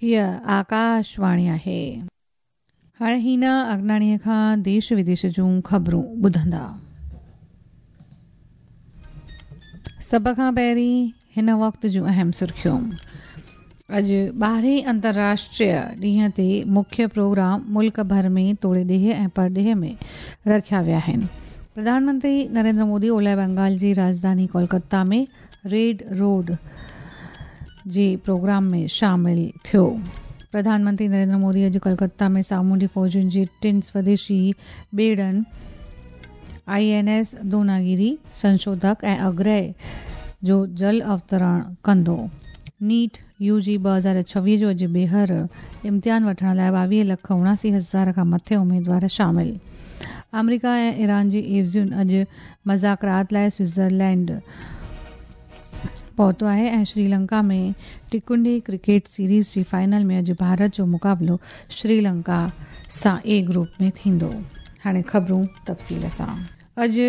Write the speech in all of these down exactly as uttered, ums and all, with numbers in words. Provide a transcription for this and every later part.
हीअ आकाशवाणी आहे। हाणे हीना अगनाणीअ खां देश विदेश जूं ख़बरूं ॿुधंदा। सभ खां पहिरीं हिन वक़्त जूं अहम सुर्खियूं। अॼु ॿारहें अंतर्राष्ट्रीय ॾींहं ते मुख्य प्रोग्राम मुल्क भर में तोड़े ॾेह ऐं परॾेह में रखिया विया आहिनि। प्रधानमंत्री नरेंद्र मोदी ओलह बंगाल जी राजधानी कोलकाता में रेड रोड जे प्रोग्राम में शामिल थियो। प्रधानमंत्री नरेंद्र मोदी अॼु कोलकाता में सामुंडी फ़ौजुनि जे टिनि स्वदेशी ॿेड़नि I N S Dunagiri, संशोधक ऐं अग्रय जो जल अवतरण कंदो। नीट you जी ॿ हज़ार छवीह जो अॼु ॿीहर इम्तिहान वठण लाइ ॿावीह लख उणासी हज़ार खां मथे उमेदवार शामिल। आमेरिका ऐं ईरान जी एवज़ियुनि अॼु मज़ाकरात लाइ स्विट्ज़रलैंड पहुतो आहे ऐं श्रीलंका में टिकुंडी क्रिकेट सीरीज़ जी फाइनल में अॼु भारत जो मुक़ाबिलो श्रीलंका सां ए ग्रुप में थींदो। हाणे ख़बरूं तफ़सील सां। अॼु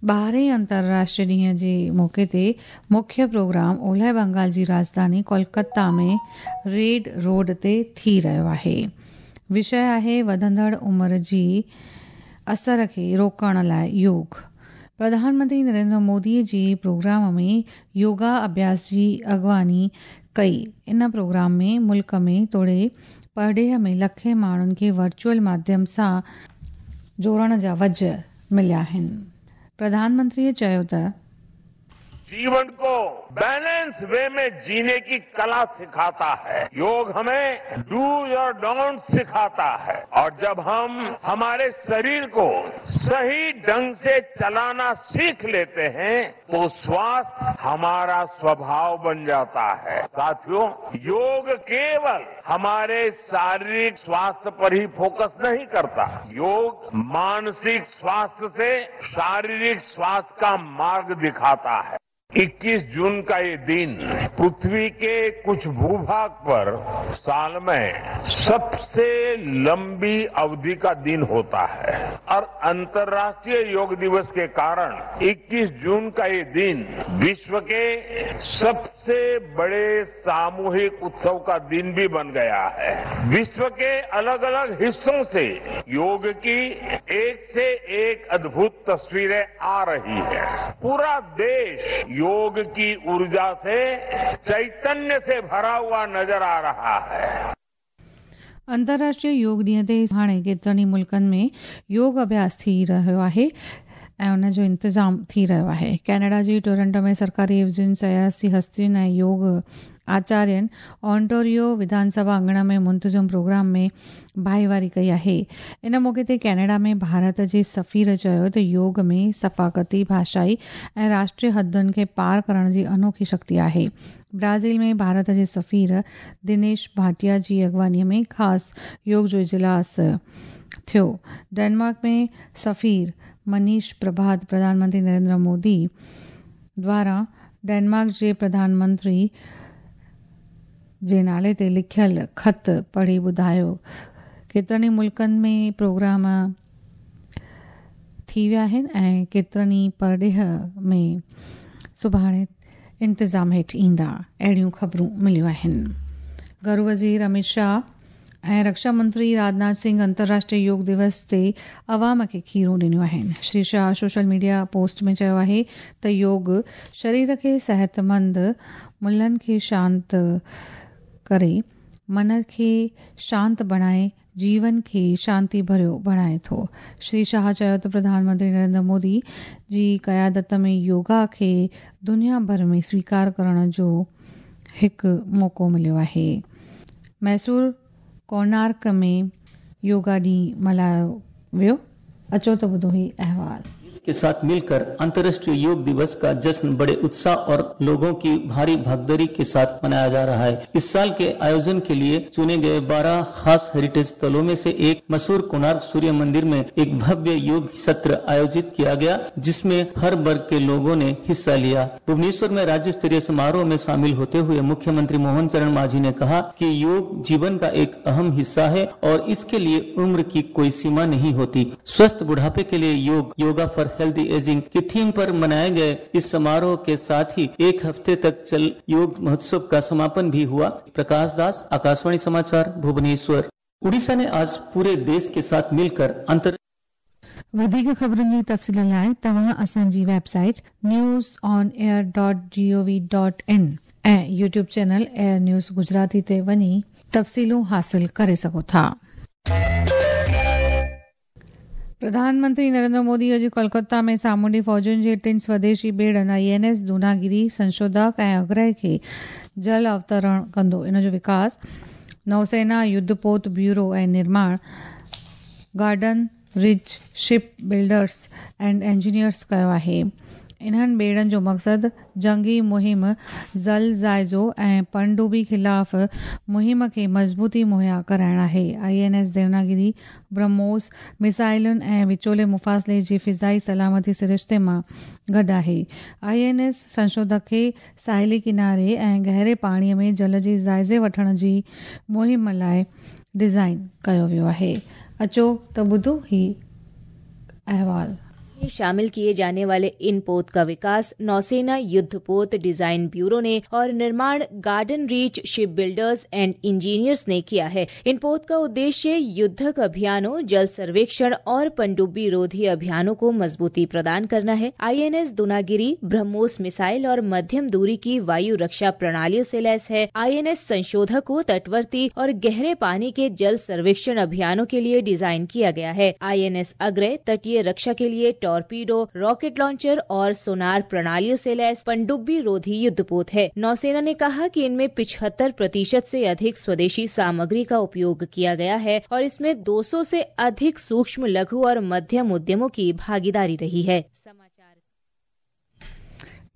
ॿारहें अंतर्राष्ट्रीय ॾींहं जे मौक़े ते मुख्य प्रोग्राम ओलह बंगाल जी राजधानी कोलकाता में रेड रोड ते थी रहियो आहे। विषय आहे वधंदड़ उमिरि जी असर खे रोकण लाइ योग। प्रधानमंत्री नरेंद्र मोदी जी प्रोग्राम में योगा अभ्यास जी अॻुवानी कई। इन प्रोग्राम में मुल्क में तोड़े परॾेह में लखे माण्हुनि खे वर्चुअल माध्यम सां जोड़ण जा वज मिलिया आहिनि। प्रधानमंत्रीअ चयो त जीवन को बैलेंस वे में जीने की कला सिखाता है। योग हमें do और don't सिखाता है और जब हम हमारे शरीर को सही ढंग से चलाना सीख लेते हैं तो स्वास्थ्य हमारा स्वभाव बन जाता है। साथियों, योग केवल हमारे शारीरिक स्वास्थ्य पर ही फोकस नहीं करता। योग मानसिक स्वास्थ्य से शारीरिक स्वास्थ्य का मार्ग दिखाता है। इक्कीस जून का ये दिन पृथ्वी के कुछ भूभाग पर साल में सबसे लंबी अवधि का दिन होता है और अंतर्राष्ट्रीय योग दिवस के कारण इक्कीस जून का ये दिन विश्व के सबसे बड़े सामूहिक उत्सव का दिन भी बन गया है। विश्व के अलग अलग हिस्सों से योग की एक से एक अद्भुत तस्वीरें आ रही है। पूरा देश योग की ऊर्जा से, चैतन्य से भरा हुआ नजर आ रहा है। अंतर्राष्ट्रीय योग ॾींहं ते हाणे केतिरनि ई मुल्कनि में योग अभ्यास थी रहियो आहे ऐं उन जो इंतज़ाम थी रहियो आहे। कनाडा जी टोरंटो में सरकारी एवज़ियुनि, सियासी हस्तियुनि ऐं योग आचार्यनि ऑन्टोरियो विधानसभा अंगण में मुंतज़म प्रोग्राम में भाईवारी कई आहे। इन मौक़े ते कनाडा में भारत जे सफ़ीर चयो त योग में सफ़ाक़ती, भाषाई ऐं राष्ट्रीय हदुनि खे पार करण जी अनोखी शक्ति आहे। ब्राज़ील में भारत जे सफ़ीर दिनेश भाटिया जी अॻुवानीअ में ख़ासि योग जो इजलास थियो। डेनमार्क में सफ़ीर मनीष प्रभात प्रधानमंत्री नरेंद्र मोदी द्वारा डेनमार्क जे प्रधानमंत्री जे नाले ते लिखियल ख़त पढ़ी ॿुधायो। केतिरनि ई मुल्कनि में प्रोग्राम थी विया आहिनि ऐं केतिरनि ई परॾेह में सुभाणे इंतज़ाम हेठि ईंदा, अहिड़ियूं ख़बरूं मिलियूं आहिनि। घरू वज़ीर अमित शाह ऐं रक्षा मंत्री राजनाथ सिंह अंतर्राष्ट्रीय योग दिवस ते अवाम खे खीरूं ॾिनियूं आहिनि। Shri Shah social media post में चयो आहे त योग शरीर खे सिहतमंद, मुलनि खे शांत करे, मन खे शांत बणाए, जीवन खे शांति भरियो बणाए थो। श्री शाह चयो त प्रधानमंत्री नरेंद्र मोदी जी क़यादत में योगा खे दुनिया भर में स्वीकार करण जो हिकु मौक़ो मिलियो आहे। मैसूर कोणार्क में योगा ॾींहुं मल्हायो वियो। अचो त ॿुधो ही अहवाल। के साथ मिलकर अंतर्राष्ट्रीय योग दिवस का जश्न बड़े उत्साह और लोगों की भारी भागीदारी के साथ मनाया जा रहा है। इस साल के आयोजन के लिए चुने गए बारह खास हेरिटेज स्थलों में से एक मशहूर कोणार्क सूर्य मंदिर में एक भव्य योग सत्र आयोजित किया गया, जिसमें हर वर्ग के लोगों ने हिस्सा लिया। भुवनेश्वर में राज्य स्तरीय समारोह में शामिल होते हुए मुख्यमंत्री मोहन चरण माझी ने कहा कि योग जीवन का एक अहम हिस्सा है और इसके लिए उम्र की कोई सीमा नहीं होती। स्वस्थ बुढ़ापे के लिए योग, योगा फॉर हेल्दी एजिंग की थीम पर मनाए गए इस समारोह के साथ ही एक हफ्ते तक चल योग महोत्सव का समापन भी हुआ। प्रकाश दास, आकाशवाणी समाचार, भुवनेश्वर। उड़ीसा ने आज पूरे देश के साथ मिलकर अंतर वधीक ख़बरुनि जी तफ़सील लाइ तव्हां असांजी website news on air dot G O V dot in ऐं YouTube channel AIR news Gujarati ते वञी तफ़सीलूं हासिल करे सघो था। प्रधानमंत्री नरेंद्र मोदी अॼु कोलकाता में सामुंडी फ़ौजुनि जे टिनि स्वदेशी ॿेड़नि I N S Dunagiri, संशोधक ऐं अग्रह खे जल अवतरण कंदो। इन जो विकास नौसेना युद्धपोत ब्यूरो ऐं निर्माण Garden Reach Ship Builders and Engineers कयो आहे। इन्हनि ॿेड़नि जो मक़सदु जंगी मुहिम, जल जाइज़ो ऐं पनडुबी ख़िलाफ़ मुहिम खे मज़बूती मुहैया कराइण आहे। I N S Dunagiri BrahMos मिसाइलुनि ऐं विचोले मुफ़ासिले जी फ़िज़ाई सलामती सरिश्ते मां गॾु आहे। I N S संशोधक खे साहिली किनारे ऐं गहरे पाणीअ में जल जे जाइज़े वठण जी मुहिम लाइ डिज़ाइन कयो वियो आहे। अचो त ॿुधो ही अहवाल। शामिल किए जाने वाले इन पोत का विकास नौसेना युद्धपोत डिजाइन ब्यूरो ने और निर्माण Garden Reach Ship Builders and Engineers ने किया है। इन पोत का उद्देश्य युद्धक अभियानों, जल सर्वेक्षण और पनडुब्बी रोधी अभियानों को मजबूती प्रदान करना है। I N S Dunagiri BrahMos missile और मध्यम दूरी की वायु रक्षा प्रणालियों से लैस है। I N S संशोधक को तटवर्ती और गहरे पानी के जल सर्वेक्षण अभियानों के लिए डिजाइन किया गया है। I N S अग्रय तटीय रक्षा के लिए टॉर्पीडो, रॉकेट लॉन्चर और सोनार प्रणालियों से लैस पनडुब्बी रोधी युद्धपोत है। नौसेना ने कहा कि इनमें पिछहत्तर प्रतिशत से अधिक स्वदेशी सामग्री का उपयोग किया गया है और इसमें दो सौ से अधिक सूक्ष्म, लघु और मध्यम उद्यमों की भागीदारी रही है। समाचार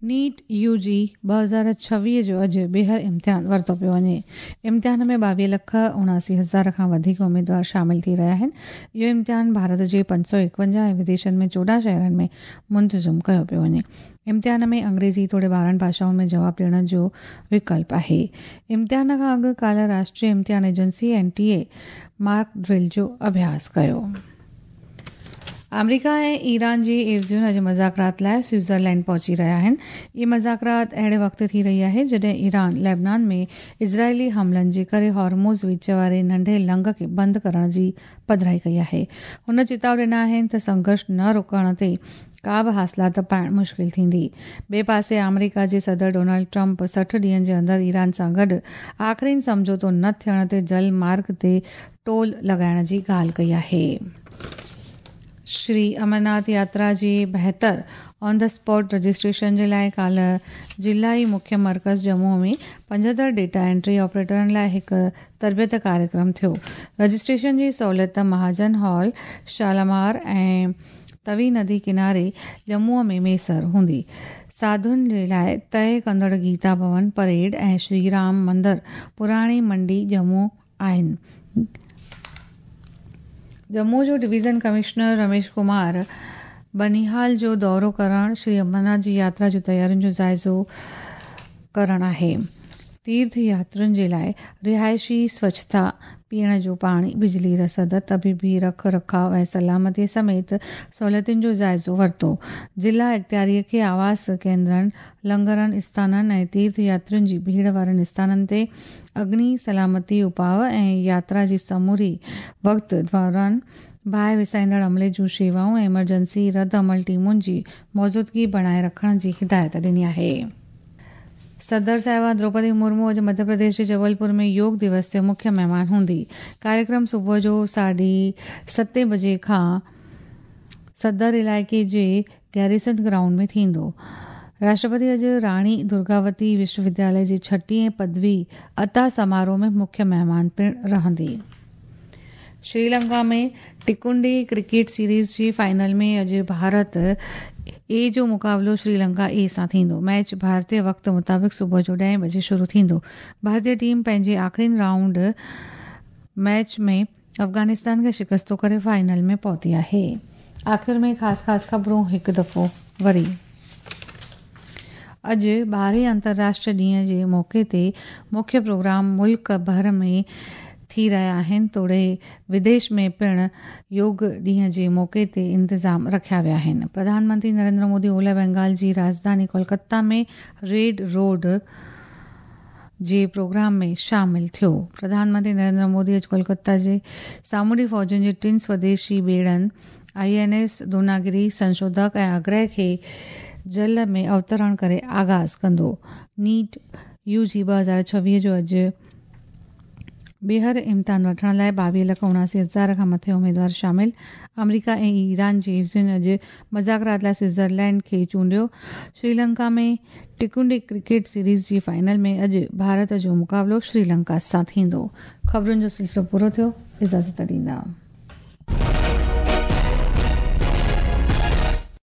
नीट यूजी ॿ हज़ार छवीह जो अॼु ॿीहर इम्तिहान वरितो पियो वञे। इम्तिहान में ॿावीह लख उणासी हज़ार खां वधीक उमेदवार शामिल थी रहिया आहिनि। इहो इम्तिहान भारत जे पंज सौ एकवंजाह ऐं विदेशनि में चोॾहं शहरनि में मुंतज़िम कयो पियो वञे। इम्तिहान में अंग्रेज़ी तोड़े ॿारहं भाषाउनि में जवाब ॾियण जो विकल्प आहे। इम्तिहान खां अॻु काल्ह राष्ट्रीय इम्तिहान agency N T A mock drill जो अभ्यास कयो। आमेरिका ऐं ईरान जी एवज़ियुनि अॼु मज़ाकरात लाइ स्विट्ज़रलैंड पहुची रहिया आहिनि। इहे मज़ाकरात अहिड़े वक़्तु थी रही आहे जॾहिं ईरान लेबनान में इज़राइली हमलनि जे करे हॉर्मोज़ विच वारे नंढे लंघ खे बंदि करण जी पधराई कई आहे। हुन चेताव ॾिना आहिनि त संघर्ष न रोकण ते का बि हासिलात पाइण मुश्किल थींदी। ॿिए पासे आमेरिका जे सदर डोनाल्ड ट्रंप सठि ॾींहनि जे अंदरि ईरान सां गॾु आख़िरीन सम्झौतो न थियण ते जल मार्ग ते टोल लॻाइण जी ॻाल्हि कई आहे। श्री अमरनाथ यात्रा जे बहितर ऑन the spot registration जे लाइ काल्ह ज़िलाई मुख्य मर्कज़ जम्मू में पंजहतरि डेटा एंट्री ऑपरेटरनि लाइ हिकु तरबियत कार्यक्रम थियो। रजिस्ट्रेशन जी सहूलियत महाजन हॉल, शालामार ऐं तवी नदी किनारे जम्मूअ में मयसर हूंदी। साधुनि जे लाइ तय कंदड़ गीता भवन परेड ऐं श्री राम मंदर पुराणी मंडी जम्मू आहिनि। जम्मू जो डिवीज़न कमिश्नर रमेश कुमार बनिहाल जो दौरो करण श्री अमरनाथ जी यात्रा जो तयारियुनि जो जाइज़ो करण आहे। तीर्थ यात्रियुनि जे लाइ रिहाइशी स्वच्छता, पीअण जो पाणी, बिजली रसद, तबीबी रख रखाव ऐं सलामतीअ समेत सहूलियतुनि जो जाइज़ो वरितो। ज़िला इख़्तियारीअ खे आवास केंद्रनि, लंगरनि स्थाननि ऐं तीर्थ यात्रियुनि जी भीड़ वारनि स्थाननि ते अग्नि सलामती उपाव ऐं यात्रा जी समूरी वक़्त दौरान बाहि विसाईंदड़ अमले जूं शेवाऊं ऐं इमरजेंसी रद्द अमल टीमुनि जी मौजूदगी बणाए रखण जी हिदायत ॾिनी आहे। सदर साहिबा द्रौपदी मुर्मू अॼु मध्य प्रदेश जे जबलपुर में योग दिवस ते मुख्य महिमान हूंदी। कार्यक्रम सुबुह जो साढे सते बजे खां सदर इलाइक़े जे गैरिसन ग्राउंड में थींदो। राष्ट्रपति अॼु राणी दुर्गावती विश्वविद्यालय जे छटीहें पदवी अता समारोह में मुख्य महिमान पिणु रहंदी। श्रीलंका में टिकुंडी क्रिकेट सीरीज़ जी फाइनल में अॼु भारत ए जो मुक़ाबिलो श्रीलंका ए सां थींदो। मैच भारतीय वक़्त मुताबिक़ सुबुह जो ॾहें बजे शुरू थींदो। भारतीय टीम पंहिंजे आख़िरी राउंड मैच में अफ़गानिस्तान खे शिकस्तो करे फाइनल में पहुती आहे। आख़िर में ख़ासि ख़ासि ख़बरूं हिकु दफ़ो वरी। अॼु ॿारहें अंतर्राष्ट्रीय ॾींहं जे मौक़े ते मुख्य प्रोग्राम मुल्क भर में थी रहिया आहिनि, तोड़े विदेश में पिणु योग ॾींहं जे मौक़े ते इंतज़ाम रखिया विया आहिनि। प्रधानमंत्री नरेंद्र मोदी ओलह बंगाल जी राजधानी कोलकाता में रेड रोड जे प्रोग्राम में शामिल थियो। प्रधानमंत्री नरेंद्र मोदी अॼु कोलकाता जे सामुंडी फ़ौजुनि जे टिनि स्वदेशी ॿेड़नि I N S Dunagiri, संशोधक ऐं आग्रह खे जल में अवतरण करे आगाज़ कंदो। नीट यू जी ॿ हज़ार छवीह जो अॼु ॿीहर इम्तिहान वठण लाइ ॿावीह लख उणासी हज़ार खां मथे उमेदवार शामिल। अमरीका ऐं ईरान जे एफ़ अॼु मुज़ाकरात लाइ स्विट्ज़रलैंड खे चूंडियो। श्रीलंका में टिकुंडी क्रिकेट सीरीज़ जी फाइनल में अॼु भारत जो मुक़ाबिलो श्रीलंका सां थींदो। ख़बरुनि जो सिलसिलो पूरो थियो। इजाज़त ॾींदा।